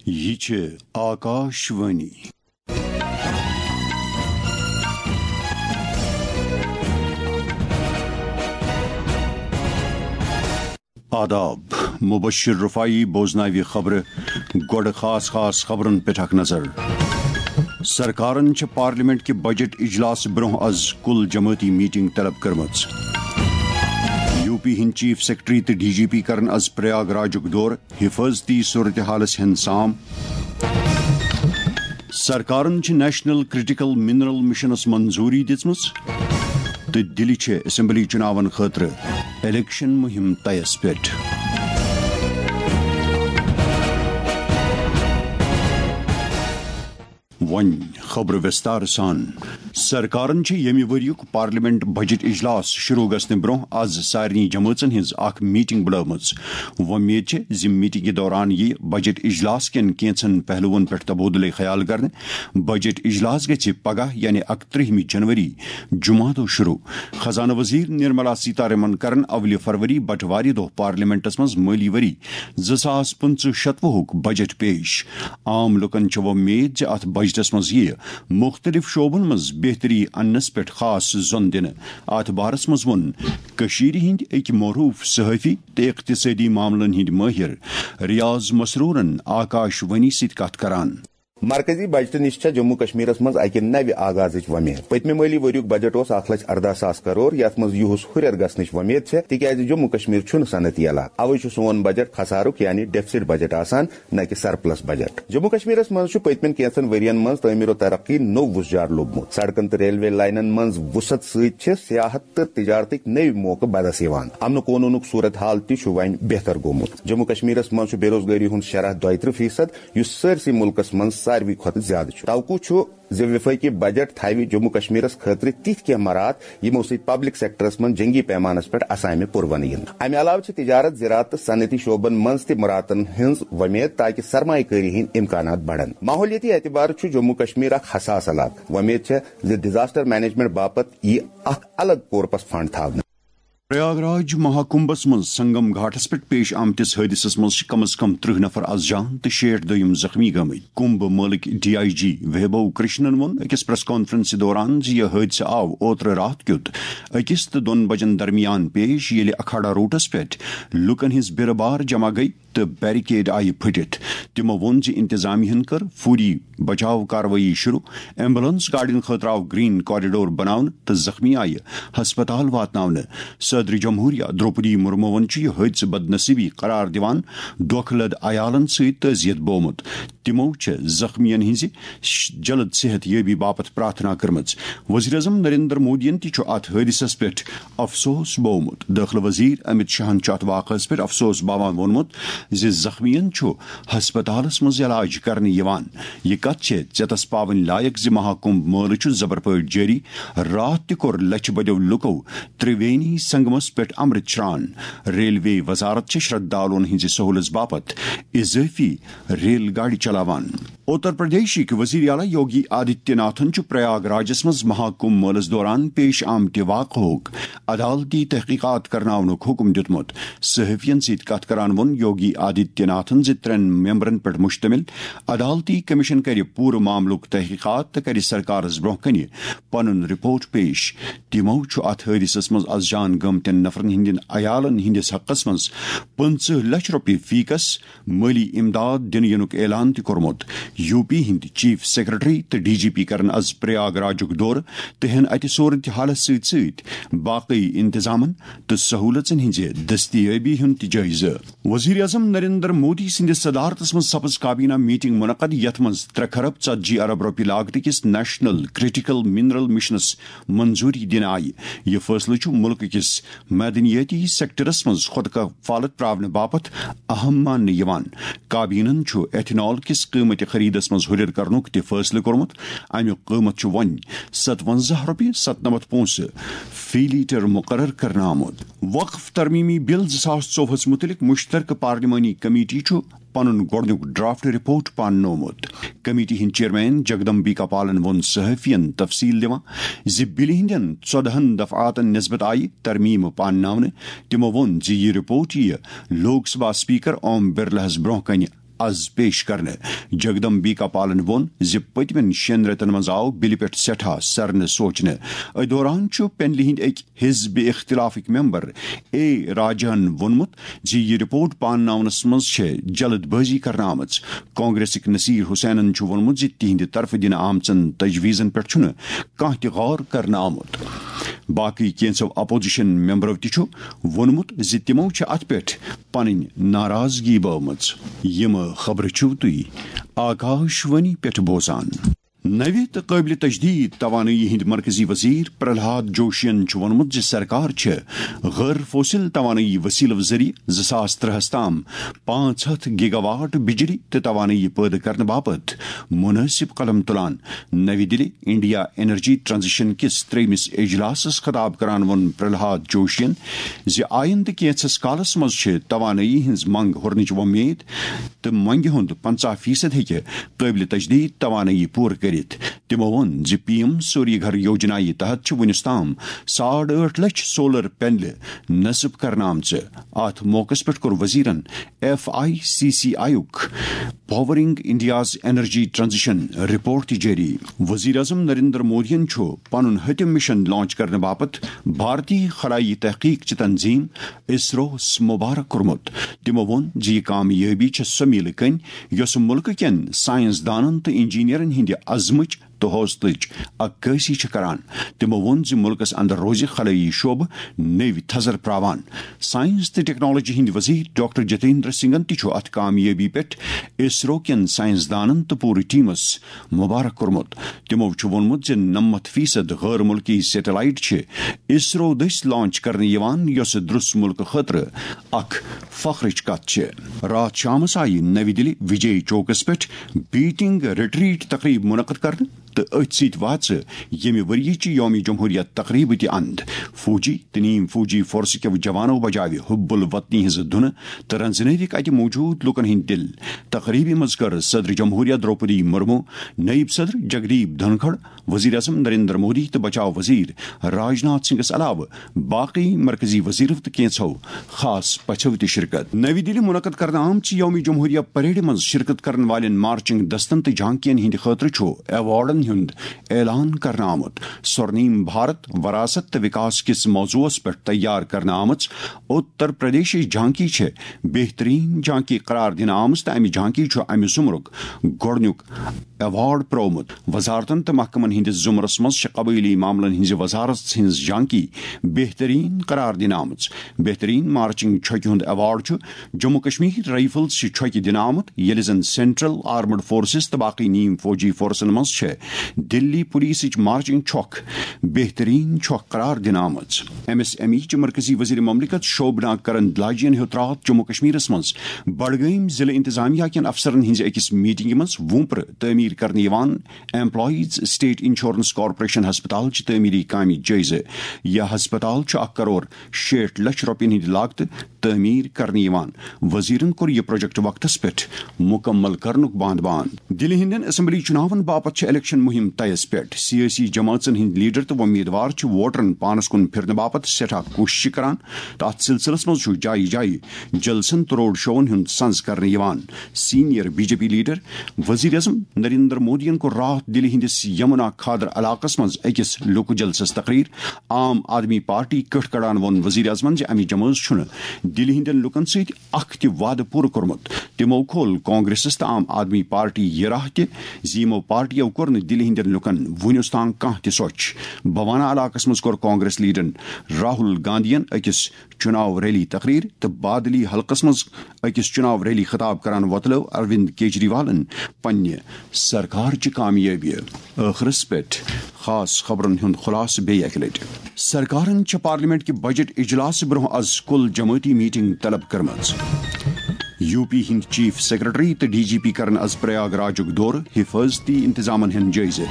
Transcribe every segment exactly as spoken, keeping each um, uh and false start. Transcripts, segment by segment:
یہِ چھِ آکاش وانی۔ آداب، مبشر رفاعی بوزناوِ خبرٕ۔ گۄڈٕ خاص خاص خبرن پٮ۪ٹھ اکھ نظر۔ سرکارن چھِ پارلیمنٹ کہِ بجٹ اجلاس برونٛہہ از کل جمٲعتی میٹنگ طلب کٔرمٕژ۔ یو پی ہٕنٛدۍ چیف سیکرٹری تہٕ ڈی جی پی کرن از پریاگ راجُک دورٕ، حفاظتی صورتحالس ہٮ۪ن سام۔ سرکارن چھِ نیشنل کرٹیکل منرل مشنس منظوری دِژمٕژ تہٕ دِلہِ چھِ اسمبلی چُناون خٲطرٕ الیکشن مُہِم طیس پٮ۪ٹھ۔ وۄنۍ خبرٕ وِستار سان۔ سرکارن چھِ ییٚمہِ ؤریُک پارلیمنٹ بجٹ اجلاس شروع گژھنہٕ برونٛہہ از سارنٕے جمٲژن ہٕنٛز اکھ میٹنگ بُلٲومٕژ۔ وۄمید چھِ زِ میٹنگہِ دوران یِیہِ بجٹ اجلاس کٮ۪ن کینٛژن پہلوَن پٮ۪ٹھ تبادلہٕ خیال کرنہٕ۔ بجٹ اجلاس گژھِ پگاہ یعنی اکترٛہمہِ جنوری جمعہ دۄہ شروع۔ خزانہٕ وزیر نرملا سیتارمن کرن اولہِ فروری بٹوارِ دۄہ پارلیمنٹس منٛز مٲلی ؤری زٕ ساس پٕنٛژٕہ شتوُہُک بجٹ پیش۔ عام لوٗکن چھِ وۄمید زِ اتھ بجٹس منٛز یِیہِ مُختٔلِف شعبن منٛز بہتری اننس پٮ۪ٹھ خاص زۄن دِنہٕ۔ اتھ بارس منٛز ووٚن کٔشیٖرِ ہٕنٛدۍ أکۍ معروٗف صحافی تہٕ اقتصٲدی معاملن ہٕنٛدۍ مٲہِر ریاض مسروٗرن آکاش وانی سۭتۍ کتھ کران۔ مرکزی بجٹہٕ نِش چھےٚ جموں کشمیرس منٛز اکہِ نوِ آغازٕچ وۄمید۔ پٔتمہِ مٲلی ؤریُک بجٹ اوس اکھ لچھ ارداہ ساس کرور، یتھ منٛز یِہُس ہُرٮ۪ر گژھنٕچ وۄمید چھےٚ، تِکیازِ جموں کشمیر چھُنہٕ صنعتی علاقہٕ، اوے چھُ سون بجٹ خسارُک یعنی ڈیفسٹ بجٹ آسان، نہ کہِ سرپلس بجٹ۔ جموں کشمیرس منٛز چھُ پٔتمٮ۪ن کینٛژن ؤرین منٛز تعمیٖر و ترقی نوٚو وُژھ جار لوٚبمُت۔ سڑکن تہٕ ریلوے لائنن منٛز وُسعت سۭتۍ چھِ سیاحت تہٕ تجارتٕکۍ نٔوۍ موقعہٕ بدس یِوان۔ امن و قونوٗنُک صورت حال تہِ چھُ وۄنۍ بہتر گوٚمُت۔ جموں کشمیرس منٛز چھُ بے روزگٲری ہُنٛد شرح دۄیہِ ترٕٛہ فیصد، یُس سٲرسٕے مُلکس منٛز ساروی کھۄتہٕ زیادٕ چھُ۔ توقع چھُ زِ وفٲقی بجٹ تھاوِ جموں کشمیرس خٲطرٕ تِتھۍ کینٛہہ مراعات، یِمو سۭتۍ پبلک سیکٹرس منٛز جنگی پیمانس پٮ۪ٹھ اسامہِ پُروَنہٕ یِن۔ امہِ علاوٕ چھِ تجارت، زراعت تہٕ صنعتی شعبن منٛز تہِ مراعاتن ہٕنٛز وۄمید، تاکہِ سرمایہ کٲری ہٕنٛدۍ امکانات بڑن۔ ماحولیٲتی اعتبارٕ چھُ جموں کشمیر اکھ حساس علاقہٕ۔ وۄمید چھےٚ زِ ڈیزاسٹر مینجمنٹ باپتھ یِیہِ اکھ الگ کورپس فنڈ تھاونہٕ۔ پریاگ راج مہاکمبس منٛز سنگم گھاٹس پٮ۪ٹھ پیش آمتِس حٲدثس منٛز چھِ کم از کم ترٕٛہ نفر از جان تہٕ شیٹھ دوٚیِم زخمی گٔمٕتۍ۔ کمبھ مٲلٕکۍ ڈی آئی جی ویبھو کرشنن ووٚن أکِس پریس کانفرنسہِ دوران زِ یہِ حٲدثہٕ آو اوترٕ راتھ کیُت أکِس تہٕ دۄن بجن درمیان پیش، ییٚلہِ اکھاڑا روڈس پٮ۪ٹھ لوٗکن ہٕنٛز بیرٕ بار جمع گٔیہِ تہٕ بیریکیڈ آیہِ پھٕٹِتھ۔ تِمو ووٚن زِ انتظامیہن کٔر فوری بچاو کاروٲیی شروع۔ ایمبولینس گاڑین خٲطرٕ آو گرین کوریڈور بناونہٕ تہٕ زخمی آیہِ ہسپتال واتناونہٕ۔ صدر جمہوریہ درٛوپدی مرموہن چھُ یہِ حٲدثہٕ بدنصیبی قرار دِوان دھوکہ لد عیالن سۭتۍ تعزیت بوومُت۔ تِمو چھےٚ زخمین ہٕنٛزِ ش-، جلد صحت یٲبی باپتھ پرارتھنا کٔرمٕژ۔ وزیر اعظم نریندر مودیَن تہِ چھُ اتھ حٲدثس پٮ۪ٹھ افسوس بوومُت۔ دٲخلہٕ وزیر امت شاہن چھُ اتھ واقعس پٮ۪ٹھ افسوس باوان ووٚنمُت زِ زخمیَن چھُ ہسپتالس منٛز علاج کرنہٕ یِوان۔ یہِ کتھ چھےٚ ژیتس پاوٕنۍ لایق زِ مہاکمبھ مٲلہٕ چھُ زبر پٲٹھۍ جٲری۔ راتھ تہِ کوٚر لچھِ بدیو لوٗکو ترٛوینی سنگمس پٮ۪ٹھ امرت شران۔ ریلوے وزارت چھِ شردھالوٗن ہٕنٛزِ سہوٗلژ باپتھ اضٲفی ریل گاڑِ چلاوان۔ اتر پردیشٕکۍ وزیر اعلیٰ یوگی آدتیہ ناتھن چھُ پریاگ راجس منٛز مہاکمبھ مٲلس دوران پیش آمتہِ واقعہُک عدالتی تحقیقات کرناونُک حکم دیُتمُت۔ صحافین سۭتۍ کتھ کران ووٚن یوگی آدتیہ ناتھن زِ ترٛٮ۪ن ممبرن پٮ۪ٹھ مشتمل عدالتی کمیشن کرِ پوٗرٕ معاملُک تحقیقات تہٕ کرِ سرکارس برونٛہہ کنہِ پنُن رپورٹ پیش۔ تِمو چھُ اتھ حٲدثس منٛز از جان گٔمتٮ۪ن نفرن ہٕنٛدٮ۪ن عیالن ہٕنٛدِس حقس منٛز پٕنٛژٕہ لچھ رۄپیہِ فی کس مٲلی امداد دِنہٕ یِنُک اعلان تہِ کوٚرمُت۔ یو پی ہٕنٛدۍ چیف سیکرٹری تہٕ ڈی جی پی کرن از پریاگ راجُک دورٕ تہٕ ہٮ۪ن اتہِ صورت حالس سۭتۍ سۭتۍ باقٕے انتظامن تہٕ سہوٗلژن ہٕنٛزِ دستیٲبی ہُنٛد تہِ جٲیزٕ۔ وزیر اعظم نریندر مودی سٕنٛدِس صدارتس منٛز سپٕز کابینہ میٹنگ منعقد، یتھ منٛز ترٛےٚ کھرب ژتجی ارب رۄپیہِ لاگتہٕ کِس نیشنل کرٹیکل منرل مشنس منظوری دِنہٕ آیہِ۔ یہِ فٲصلہٕ چھُ مُلکہٕ کِس معدنیٲتی سیکٹرس منٛز خۄد کفالت پراونہٕ باپتھ اہم ماننہٕ یِوان۔ کابینن چھُ ایتھنال کِس قۭمتہِ خریدس منٛز ہُرٮ۪ر کرنُک تہِ فٲصلہٕ کوٚرمُت۔ امیُک قۭمتھ چھُ وۄنۍ ستونزہ رۄپیہِ ستنمتھ پونٛسہٕ فی لیٹر مقرر کرنہٕ آمُت۔ وقف ترمیمی بل زٕ ساس ژوٚوُہس مُتعلق مشترکہٕ پارلیمانی کمیٹی چھُ پنُن گۄڈٕنیُک ڈرافٹ رپورٹ پاننومُت۔ کمیٹی ہٕنٛدۍ چیئرمین جگدمبیکا پالن ووٚن صحافین تفصیل دِوان زِ بلہِ ہٕنٛدٮ۪ن ژۄدہن دفعاتن نسبت آیہِ ترمیمہٕ پانناونہٕ۔ تِمو ووٚن زِ یہِ رپورٹ یِیہِ لوک سبھا اسپیکر اوم برلاہس برونٛہہ کنہِ از پیش کرنہٕ۔ جگدمبیکا پالن ووٚن زِ پٔتمٮ۪ن شٮ۪ن رٮ۪تن منٛز آو بلہِ پٮ۪ٹھ سٮ۪ٹھاہ سرنہٕ سوچنہٕ۔ أتھۍ دوران چھُ پینلہِ ہٕنٛدۍ أکۍ حزب اختلافٕکۍ ممبر اے راجہن ووٚنمُت زِ یہِ رپورٹ پانناونس منٛز چھےٚ جلد بٲزی کرنہٕ آمٕژ۔ کانگریسٕکۍ نصیر حسینن چھُ ووٚنمُت زِ تِہنٛدِ طرفہٕ دِنہٕ آمژن تجویزن پٮ۪ٹھ چھُنہٕ کانٛہہ تہِ غور کرنہٕ آمُت۔ باقٕے کینٛژو اپوزیشن ممبرو تہِ چھُ ووٚنمُت زِ تِمو چھِ اتھ پٮ۪ٹھ پنٕنۍ ناراضگی بٲومٕژ۔ یِم خبرٕ چھِو تُہۍ آکاش وانی پٮ۪ٹھ بوزان۔ نوِ تہٕ قٲبلِ تجدید توانٲیی ہٕنٛدۍ مرکزی وزیر پرہلاد جوشین چھُ ووٚنمُت زِ سرکار چھِ غٲر فوسل توانٲیی وسیلہٕ ذٔریعہٕ زٕ ساس ترٛہَس تام پانٛژھ ہَتھ گیگا واٹ بجلی تہٕ توانٲیی پٲدٕ کرنہٕ باپتھ مناسب قدم تُلان۔ نوِ دِلہِ انڈیا انرجی ٹرانزیشن کِس ترٛیٚیمِس اجلاسَس خطاب کران ووٚن پرہلاد جوشین زِ آیندٕ کینٛژھس کالَس منٛز چھِ توانٲیی ہٕنٛز منٛگ ہُرنٕچ وۄمید تہٕ منٛگہِ ہُنٛد پنٛژاہ فیصد ہیٚکہِ قٲبلِ تجدید توانٲیی پوٗرٕ کٔرِتھ۔ تِمو ووٚن زِ پی ایم سوری گھر یوجنا یہِ تحت چھِ وُنیُس تام ساڑ ٲٹھ لچھ سولر پینلہٕ نصب کرنہٕ آمژٕ۔ اتھ موقعس پٮ۪ٹھ کوٚر وزیرن F I C C I یُک powering India's energy transition report تہِ جٲری۔ وزیر اعظم نریندر مودیَن چھُ پنُن ہتم مشن لانچ کرنہٕ باپتھ بھارتی خلائی تحقیق چہِ تنظیم اسروَس مبارک کوٚرمُت۔ تِمو ووٚن زِ یہِ کامیٲبی چھےٚ سۄ میٖلہٕ کٔنۍ یۄسہٕ مُلکہٕ کٮ۪ن ساینس دانن تہٕ انجینئرن ہٕنٛدِ عزمٕچ تہٕ حوصلٕچ عکٲسی چھِ کران۔ تِمو ووٚن زِ مُلکَس اندر روزِ خلٲیی شعبہٕ نٔوۍ تھزر پراوان۔ ساینس تہٕ ٹیکنالوجی ہٕنٛدۍ وزیر ڈاکٹر جتیندر سنگھن تہِ چھُ اتھ کامیٲبی پٮ۪ٹھ اسرو کٮ۪ن ساینس دانن تہٕ پوٗرٕ ٹیمس مبارک کوٚرمُت۔ تِمو چھُ ووٚنمُت زِ نَمَتھ فیصد غٲر مُلکی سیٹلائٹ چھِ اسرو دٔسۍ لانچ کرنہٕ یِوان، یۄسہٕ درس مُلکہٕ خٲطرٕ اکھ فخرٕچ کتھ چھِ۔ راتھ شامس آیہِ نوِ دِلہِ وجے چوکس پٮ۪ٹھ بیٹنگ ریٹریٹ تقریب منعقد کرنہٕ تہٕ أتھۍ سۭتۍ واژٕ ییٚمہِ ؤریہِ چہِ یوم جمہوریہ تقریبہٕ تہِ اند۔ فوجی تہٕ نیم فوجی فورسہٕ کیو جوانو بجاوِ حب الوطنی ہٕنٛزٕ دھُنہٕ تہٕ رنزنٲوِکھ اتہِ موجود لوٗکن ہٕنٛدۍ دِل۔ تقریبہِ منٛز کٔر صدر جمہوریہ درٛوپدی مرمو، نٲیِب صدر جگدیپ دھنکھڑ، وزیر اعظم نریندر مودی تہٕ بچاو وزیر راجناتھ سنگھس علاوٕ باقی مرکزی وزیرو تہٕ کینٛژھو خاص پژھو تہِ شرکت۔ نوِ دِلہِ منعقد کرنہٕ آمژِ یوم جمہوریہ پریڈہِ منٛز شرکت کرن والٮ۪ن مارچنگ دستن تہٕ جھانکین ہٕنٛدِ خٲطرٕ چھُ ایوارڈن ہُنٛد اعلان کرنہٕ آمُت۔ سورنیم بھارت، وراثت تہٕ وکاس کِس موضوعس پٮ۪ٹھ تیار کرنہٕ آمٕژ اتر پردیشٕچ جھانکی چھےٚ بہترین جھانکی قرار دِنہٕ آمٕژ تہٕ امہِ جھانکی چھُ امہِ زمرُک گۄڈٕنیُک ایوارڈ پرٛوومُت۔ وزارتن تہٕ محکمن ہٕنٛدِس زمرس منٛز چھِ قبٲئلی معاملن ہٕنٛزِ وزارت ہٕنٛز جھانکی بہترین قرار دِنہٕ آمٕژ۔ بہترین مارچنگ چھۄکہِ ہُنٛد ایوارڈ چھُ جموں کشمیر رائفلز چھِ چھۄکہِ دِنہٕ آمُت، ییٚلہِ زن سینٹرل آرمڈ فورسز تہٕ باقی نیم فوجی فورسن منٛز چھےٚ دِلی پولیسٕچ مارچنگ چھۄکھ بہترین چھۄکھ قرار دِنہٕ آمٕژ۔ ایم ایس ایم ای چہِ مرکزی وزیر مملکت شوبنا کرندلاجین ہیوٚت راتھ جموں کشمیرس منٛز بڈگٲمۍ ضلعہٕ انتظامیہ کٮ۪ن افسرن ہٕنٛزِ أکِس میٹنگہِ منٛز وُمپرٕ تعمیٖر کرنہٕ یِوان ایمپلائیز اسٹیٹ انشورنس کارپوریشن ہسپتال چہِ تعمیٖری کامہِ جٲیزٕ۔ یہِ ہسپتال چھُ اکھ کرور شیٹھ لچھ رۄپین ہٕنٛدِ لاگتہٕ تعمیٖر کرنہٕ یِوان۔ وزیرن کوٚر یہِ پروجیکٹ وقتس پٮ۪ٹھ مکمل کرنُک باندھ بان۔ دِلہِ ہٕنٛدٮ۪ن اسمبلی چُناون باپتھ چھِ الیکشن مُہِم طیس پٮ۪ٹھ۔ سیٲسی جمٲژن ہٕنٛدۍ لیڈر تہٕ وۄمیدوار چھِ ووٹرن پانس کُن پھِرنہٕ باپتھ سٮ۪ٹھاہ کوٗششہٕ کران تہٕ اتھ سلسلس منٛز چھُ جایہِ جایہِ جلسن تہٕ روڈ شوون ہُنٛد سنز کرنہٕ یِوان۔ Senior B J P leader وزیر اعظم نریندر مودیَن کوٚر راتھ دِلہِ ہٕنٛدِس یمنا کھادر علاقس منٛز أکِس لوکہٕ جلسس تقریر۔ عام آدمی پارٹی کٔٹھ کڑان ووٚن وزیر اعظمن زِ امہِ جمٲژ چھُنہٕ دِلہِ ہٕنٛدٮ۪ن لوٗکن سۭتۍ اکھ تہِ وعدٕ پوٗرٕ کوٚرمُت۔ تِمو کھول کانگریسس تہٕ عام آدمی پارٹی یہِ راہ تہِ زِ یِمو پارٹیو کوٚر نہٕ دِلہِ ہٕنٛدٮ۪ن لوٗکن وُنیُس تام کانٛہہ تہِ سۄچھ۔ بھوانا علاقس منٛز کوٚر کانگریس لیڈرن راہل گاندھین أکِس چُناو ریلی تقریر تہٕ بادلی حلقس منٛز أکِس چُناو ریلی خطاب کران وۄتلٲو اروند کیجریوالن پننہِ سرکار چہِ کامیٲبی۔ ٲخرس پٮ۪ٹھ خاص خبرن ہُنٛد خلاصہٕ بیٚیہِ اکہِ لٹہِ۔ سرکارن چھےٚ پارلیمنٹ کہِ بجٹ اجلاسہٕ برونٛہہ از کُل جمٲعتی میٹنگ طلب کٔرمٕژ۔ یو پی ہٕنٛدۍ چیف سیکرٹری تہٕ ڈی جی پی کرن از پریاگ راجُک دورٕ، حفاظتی انتظامن ہُنٛد جٲیزٕ۔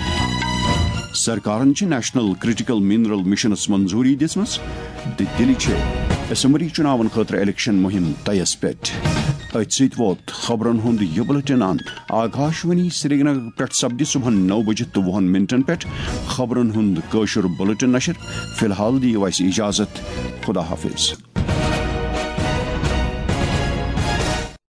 سرکارن چھِ نیشنل کرٹیکل منرل مشنس منظوری دِژمٕژ تہٕ دِلہِ چھِ اسمبلی چُناون خٲطرٕ الیکشن مُہِم طیس پٮ۪ٹھ۔ أتھۍ سۭتۍ ووت خبرن ہُنٛد یہِ بُلٹن اند۔ آکاشوانی سرینگر پٮ۪ٹھ سپدِ صبحن نو بجہِ تہٕ وُہن منٹن پٮ۪ٹھ خبرن ہُنٛد کٲشُر بُلٹن نشر۔ فی الحال دِیِو اَسہِ اجازت۔ خدا حافظ۔